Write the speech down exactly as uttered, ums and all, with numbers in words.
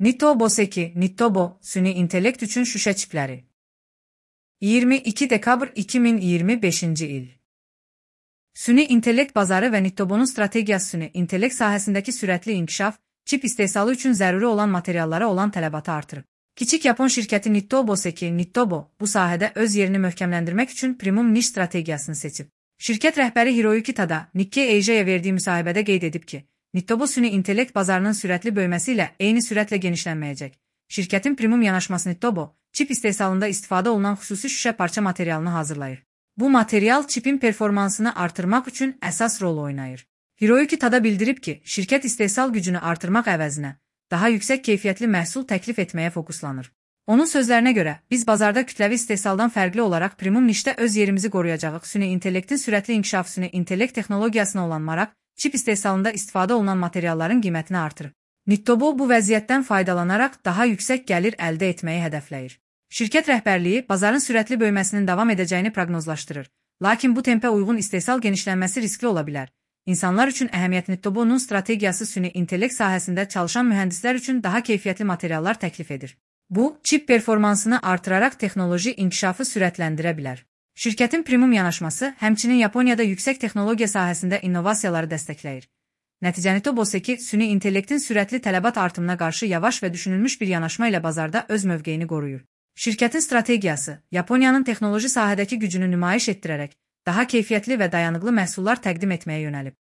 Nitobo Seki, Nitobo, süni intellekt üçün şüşə çipləri. iyirmi iki dekabr iki min iyirmi beşinci il. Süni intellekt bazarı və Nitobonun strategiyası süni intellekt sahəsindəki sürətli inkişaf, çip istehsalı üçün zəruri olan materiallara olan tələbatı artırıb. Kiçik Yapon şirkəti Nitobo Seki, Nitobo, bu sahədə öz yerini möhkəmləndirmək üçün premium niş strategiyasını seçib. Şirkət rəhbəri Hiroyuki Tada, Nikkei Asia'ya verdiyi müsahibədə qeyd edib ki, Nitobo süni intellekt bazarının sürətli böyüməsi ilə eyni sürətlə genişlənməyəcək. Şirkətin premium yanaşması Nitobo, çip istehsalında istifadə olunan xüsusi şüşə parça materialını hazırlayır. Bu material çipin performansını artırmaq üçün əsas rol oynayır. Hiroyuki Tada bildirib ki, şirkət istehsal gücünü artırmaq əvəzinə daha yüksək keyfiyyətli məhsul təklif etməyə fokuslanır. Onun sözlərinə görə, biz bazarda kütləvi istehsaldan fərqli olaraq premium nişdə öz yerimizi qoruyacağıq. Süni intellektin sürətli inkişafı süni intellekt texnologiyasına olan maraq, çip istehsalında istifadə olunan materialların qiymətini artırır. Nitobo bu vəziyyətdən faydalanaraq daha yüksək gəlir əldə etməyi hədəfləyir. Şirkət rəhbərliyi bazarın sürətli böyüməsinin davam edəcəyini proqnozlaşdırır. Lakin bu tempə uyğun istehsal genişlənməsi riskli ola bilər. İnsanlar üçün əhəmiyyət Nitobonun strategiyası süni intellekt sahəsində çalışan mühəndislər üçün daha keyfiyyətli materiallar təklif edir. Bu, çip performansını artıraraq texnoloji inkişafı sürətləndirə bilər. Şirkətin premium yanaşması həmçinin Yaponiyada yüksək texnologiya sahəsində innovasiyaları dəstəkləyir. Nəticə Nitobo Seki süni intellektin sürətli tələbat artımına qarşı yavaş və düşünülmüş bir yanaşma ilə bazarda öz mövqeyini qoruyur. Şirkətin strategiyası, Yaponiyanın texnoloji sahədəki gücünü nümayiş etdirərək, daha keyfiyyətli və dayanıqlı məhsullar təqdim etməyə yönəlib.